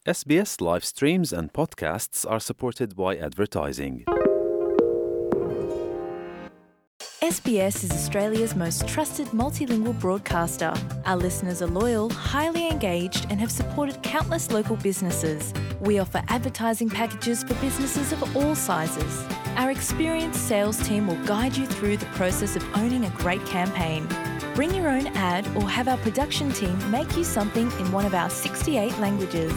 SBS live streams and podcasts are supported by advertising. SBS is Australia's most trusted multilingual broadcaster. Our listeners are loyal, highly engaged, and have supported countless local businesses. We offer advertising packages for businesses of all sizes. Our experienced sales team will guide you through the process of owning a great campaign. Bring your own ad or have our production team make you something in one of our 68 languages.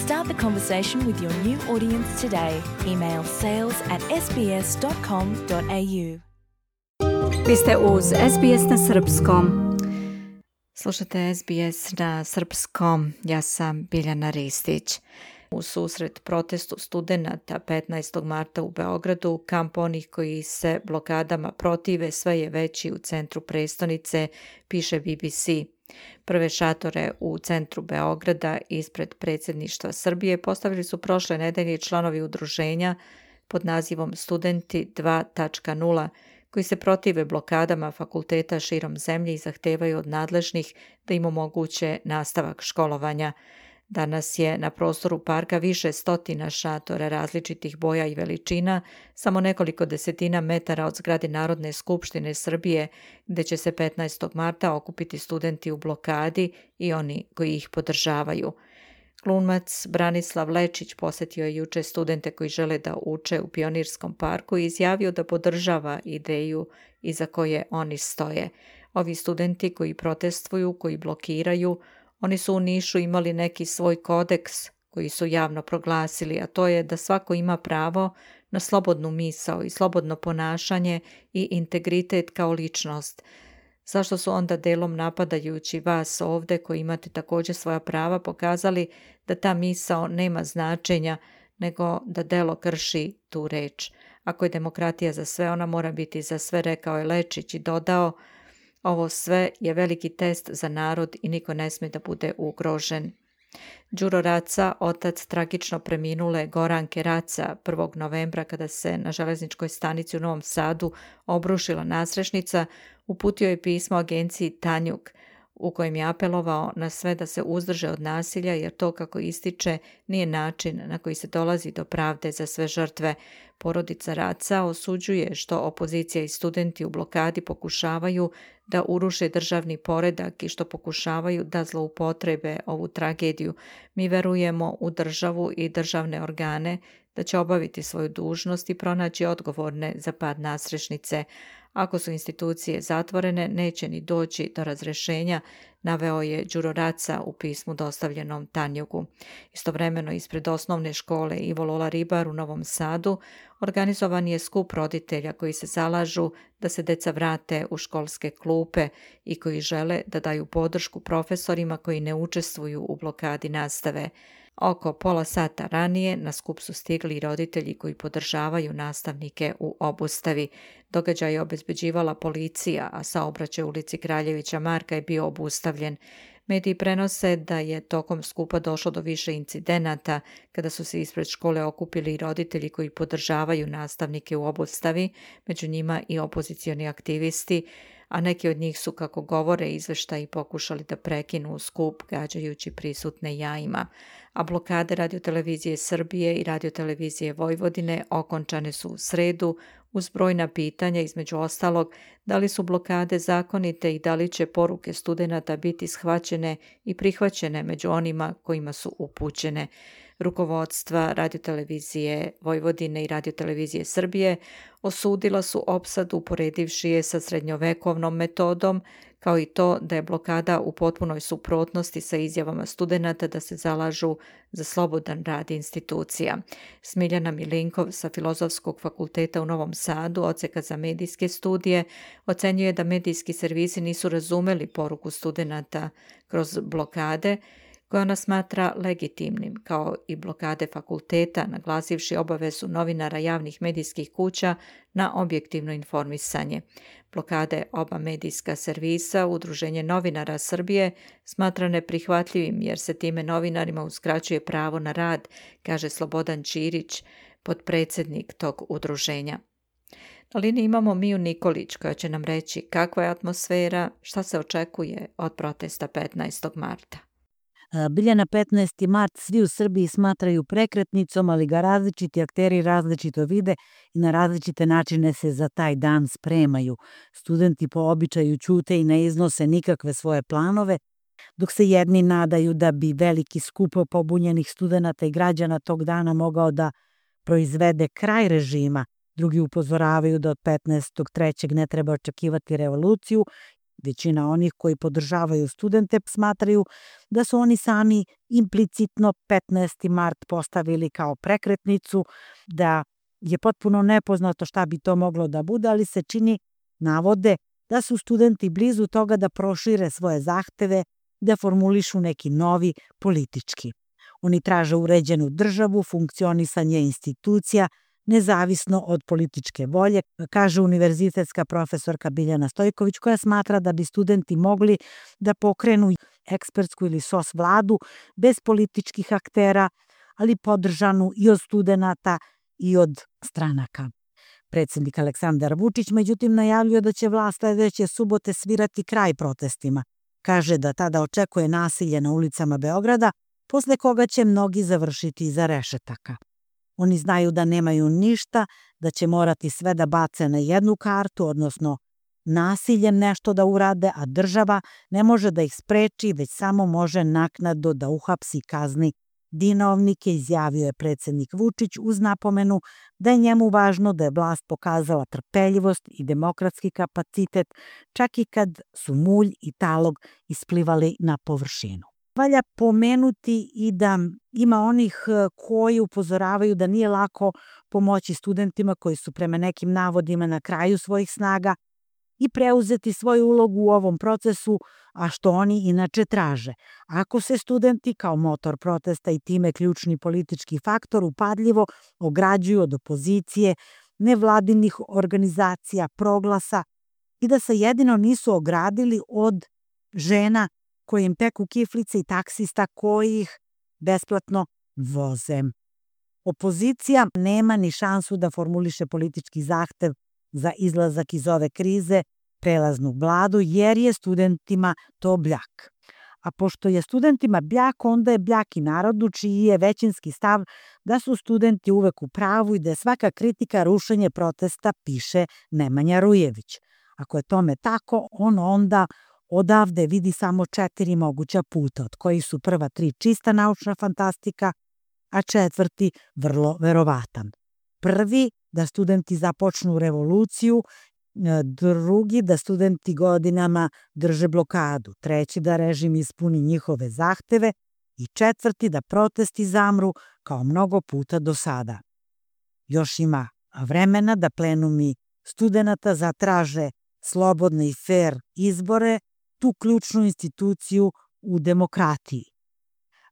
Start the conversation with your new audience today. Email sales@sbs.com.au. Vi ste uz SBS na srpskom. Slušate SBS na srpskom. Ja sam Biljana Ristić. U susret protestu studenata 15. marta u Beogradu, kamp onih koji se blokadama protive sve je veći u centru prestonice, piše BBC. Prve šatore u centru Beograda ispred predsjedništva Srbije postavili su prošle nedelje članovi udruženja pod nazivom Studenti 2.0, koji se protive blokadama fakulteta širom zemlje i zahtevaju od nadležnih da im omoguće nastavak školovanja. Danas je na prostoru parka više stotina šatora različitih boja i veličina, samo nekoliko desetina metara od zgrade Narodne skupštine Srbije, gdje će se 15. marta okupiti studenti u blokadi i oni koji ih podržavaju. Glumac Branislav Lečić posjetio je juče studente koji žele da uče u Pionirskom parku i izjavio da podržava ideju iza koje oni stoje. Ovi studenti koji protestuju, koji blokiraju, oni su u Nišu imali neki svoj kodeks koji su javno proglasili, a to je da svako ima pravo na slobodnu misao i slobodno ponašanje i integritet kao ličnost. Zašto su onda delom napadajući vas ovdje koji imate također svoja prava pokazali da ta misao nema značenja, nego da delo krši tu reč. Ako je demokratija za sve, ona mora biti za sve, rekao je Lečić i dodao: ovo sve je veliki test za narod i niko ne smije da bude ugrožen. Đuro Raca, otac tragično preminule Goranke Raca 1. novembra kada se na železničkoj stanici u Novom Sadu obrušila nasrešnica, uputio je pismo agenciji Tanjug u kojem je apelovao na sve da se uzdrže od nasilja jer to, kako ističe, nije način na koji se dolazi do pravde za sve žrtve. Porodica Raca osuđuje što opozicija i studenti u blokadi pokušavaju da uruše državni poredak i što pokušavaju da zloupotrebe ovu tragediju. Mi verujemo u državu i državne organe da će obaviti svoju dužnost i pronaći odgovorne za pad nasrešnice. Ako su institucije zatvorene, neće ni doći do razrešenja, naveo je Đuro Raca u pismu dostavljenom Tanjugu. Istovremeno ispred osnovne škole Ivo Lola Ribar u Novom Sadu organizovan je skup roditelja koji se zalažu da se deca vrate u školske klupe i koji žele da daju podršku profesorima koji ne učestvuju u blokadi nastave. Oko pola sata ranije na skup su stigli i roditelji koji podržavaju nastavnike u obustavi. Događaj je obezbeđivala policija, a saobraćaj u ulici Kraljevića Marka je bio obustavljen. Mediji prenose da je tokom skupa došlo do više incidenata kada su se ispred škole okupili i roditelji koji podržavaju nastavnike u obustavi, među njima i opozicioni aktivisti, a neki od njih su, kako govore izveštaji, pokušali da prekinu skup gađajući prisutne jajima. A blokade Radiotelevizije Srbije i Radiotelevizije Vojvodine okončane su u sredu uz brojna pitanja, između ostalog da li su blokade zakonite i da li će poruke studenata biti shvaćene i prihvaćene među onima kojima su upućene. Rukovodstva Radiotelevizije Vojvodine i Radiotelevizije Srbije osudila su opsadu uporedivši je sa srednjovekovnom metodom, kao i to da je blokada u potpunoj suprotnosti sa izjavama studenata da se zalažu za slobodan rad institucija. Smiljana Milinkov sa Filozofskog fakulteta u Novom Sadu, odseka za medijske studije, ocenjuje da medijski servisi nisu razumeli poruku studenata kroz blokade, koje ona smatra legitimnim, kao i blokade fakulteta, naglasivši obavezu novinara javnih medijskih kuća na objektivno informisanje. Blokade oba medijska servisa, Udruženje novinara Srbije, smatra neprihvatljivim jer se time novinarima uskraćuje pravo na rad, kaže Slobodan Ćirić, potpredsjednik tog udruženja. Na liniji imamo Miju Nikolić koja će nam reći kakva je atmosfera, šta se očekuje od protesta 15. marta. Biljana, 15. mart svi u Srbiji smatraju prekretnicom, ali ga različiti akteri različito vide i na različite načine se za taj dan spremaju. Studenti po običaju ćute i ne iznose nikakve svoje planove, dok se jedni nadaju da bi veliki skup pobunjenih studenata i građana tog dana mogao da proizvede kraj režima, drugi upozoravaju da od 15.3. ne treba očekivati revoluciju. Većina onih koji podržavaju studente smatraju da su oni sami implicitno 15. mart postavili kao prekretnicu, da je potpuno nepoznato šta bi to moglo da bude, ali se čini, navode, da su studenti blizu toga da prošire svoje zahteve, da formulišu neki novi politički. Oni traže uređenu državu, funkcionisanje institucija, nezavisno od političke volje, kaže univerzitetska profesorka Biljana Stojković, koja smatra da bi studenti mogli da pokrenu ekspertsku ili SOS vladu bez političkih aktera, ali podržanu i od studenata i od stranaka. Predsjednik Aleksandar Vučić, međutim, najavljuje da će vlast sledeće subote svirati kraj protestima. Kaže da tada očekuje nasilje na ulicama Beograda, posle koga će mnogi završiti iza rešetaka. Oni znaju da nemaju ništa, da će morati sve da bace na jednu kartu, odnosno nasiljem nešto da urade, a država ne može da ih spreči, već samo može naknadno da uhapsi, kazni dinovnike, izjavio je predsjednik Vučić uz napomenu da je njemu važno da je vlast pokazala trpeljivost i demokratski kapacitet, čak i kad su mulj i talog isplivali na površinu. Valja pomenuti i da ima onih koji upozoravaju da nije lako pomoći studentima koji su prema nekim navodima na kraju svojih snaga i preuzeti svoju ulogu u ovom procesu, a što oni inače traže. Ako se studenti kao motor protesta i time ključni politički faktor upadljivo ograđuju od opozicije, nevladinih organizacija, proglasa i da se jedino nisu ogradili od žena koji im peku kiflice i taksista koji ih besplatno voze. Opozicija nema ni šansu da formuliše politički zahtev za izlazak iz ove krize, prelaznu vladu, jer je studentima to bljak. A pošto je studentima bljak, onda je bljak i narodu, čiji je većinski stav da su studenti uvek u pravu i da je svaka kritika rušenje protesta, piše Nemanja Rujević. Ako je tome tako, on onda odavde vidi samo 4 moguća puta, od kojih su prva 3 čista naučna fantastika, a 4. vrlo verovatan. Prvi, da studenti započnu revoluciju, drugi, da studenti godinama drže blokadu, treći, da režim ispuni njihove zahteve i 4. da protesti zamru kao mnogo puta do sada. Još ima vremena da plenumi studenata zatraže slobodne i fair izbore, tu ključnu instituciju u demokratiji.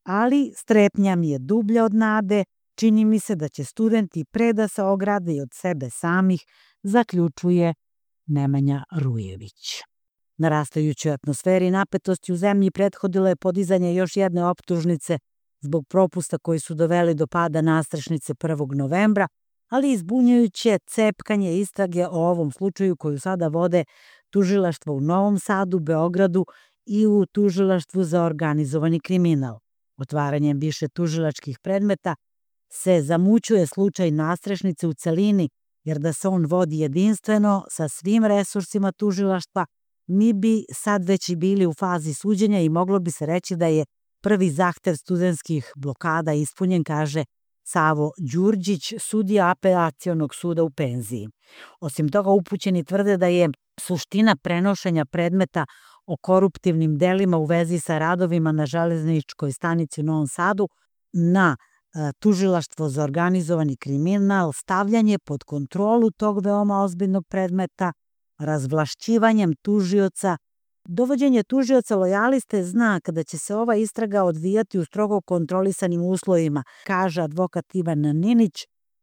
Ali strepnja mi je dublja od nade, čini mi se da će studenti pre da se ograde i od sebe samih, zaključuje Nemanja Rujević. Narastajućoj atmosferi napetosti u zemlji prethodilo je podizanje još jedne optužnice zbog propusta koji su doveli do pada nastrešnice 1. novembra, ali izbunjujuće cepkanje istrage o ovom slučaju koju sada vode tužilaštvo u Novom Sadu, Beogradu i u tužilaštvu za organizovani kriminal. Otvaranjem više tužilačkih predmeta se zamućuje slučaj nastrešnice u celini, jer da se on vodi jedinstveno sa svim resursima tužilaštva, mi bi sad već i bili u fazi suđenja i moglo bi se reći da je prvi zahtev studentskih blokada ispunjen, kaže Savo Đurđić, sudija apelacionog suda u penziji. Osim toga, upućeni tvrde da je suština prenošenja predmeta o koruptivnim delima u vezi sa radovima na železničkoj stanici u Novom Sadu na tužilaštvo za organizovani kriminal, stavljanje pod kontrolu tog veoma ozbiljnog predmeta, razvlašćivanjem tužioca. Dovođenje tužioca lojaliste znak da će se ova istraga odvijati u strogo kontrolisanim uslovima, kaže advokat Ivan Ninić,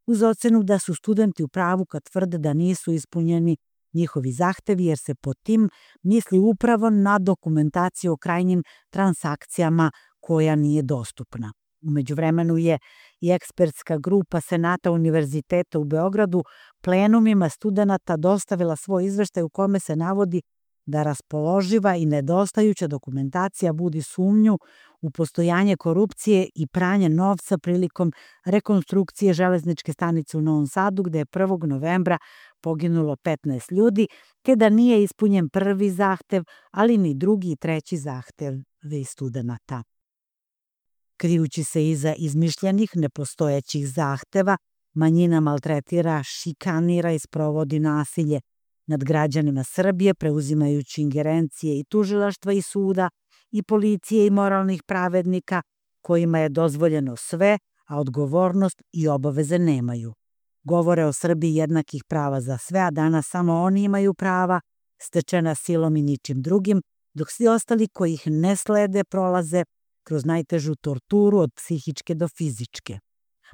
uz ocenu da su studenti u pravu kad tvrde da nisu ispunjeni njihovi zahtevi, jer se pod tim misli upravo na dokumentaciju o krajnjim transakcijama koja nije dostupna. U međuvremenu je i ekspertska grupa Senata Univerziteta u Beogradu plenumima studenata dostavila svoj izveštaj u kome se navodi da raspoloživa i nedostajuća dokumentacija budi sumnju u postojanje korupcije i pranje novca prilikom rekonstrukcije železničke stanice u Novom Sadu, gde je 1. novembra poginulo 15 ljudi, te da nije ispunjen prvi zahtev, ali ni drugi i treći zahtev studenata. Krijući se iza izmišljenih, nepostojećih zahteva, manjina maltretira, šikanira i sprovodi nasilje nad građanima Srbije, preuzimajući ingerencije i tužilaštva i suda, i policije i moralnih pravednika, kojima je dozvoljeno sve, a odgovornost i obaveze nemaju. Govore o Srbiji jednakih prava za sve, a danas samo oni imaju prava, stečena silom i ničim drugim, dok svi ostali koji ih ne slede prolaze kroz najtežu torturu od psihičke do fizičke.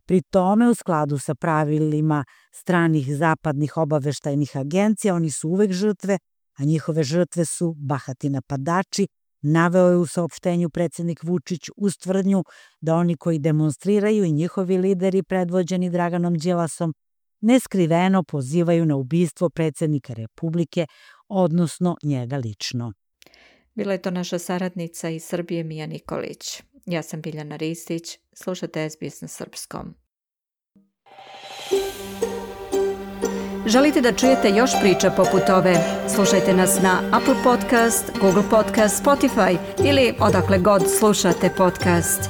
Pri tome, u skladu sa pravilima stranih zapadnih obaveštajnih agencija, oni su uvek žrtve, a njihove žrtve su bahati napadači, naveo je u saopštenju predsjednik Vučić uz tvrdnju da oni koji demonstriraju i njihovi lideri predvođeni Draganom Đilasom neskriveno pozivaju na ubistvo predsjednika Republike, odnosno njega lično. Bila je to naša saradnica iz Srbije Mija Nikolić. Ja sam Biljana Ristić, slušate SBS na srpskom. Želite da čujete još priča poput ove? Slušajte nas na Apple Podcast, Google Podcast, Spotify ili odakle god slušate podcast.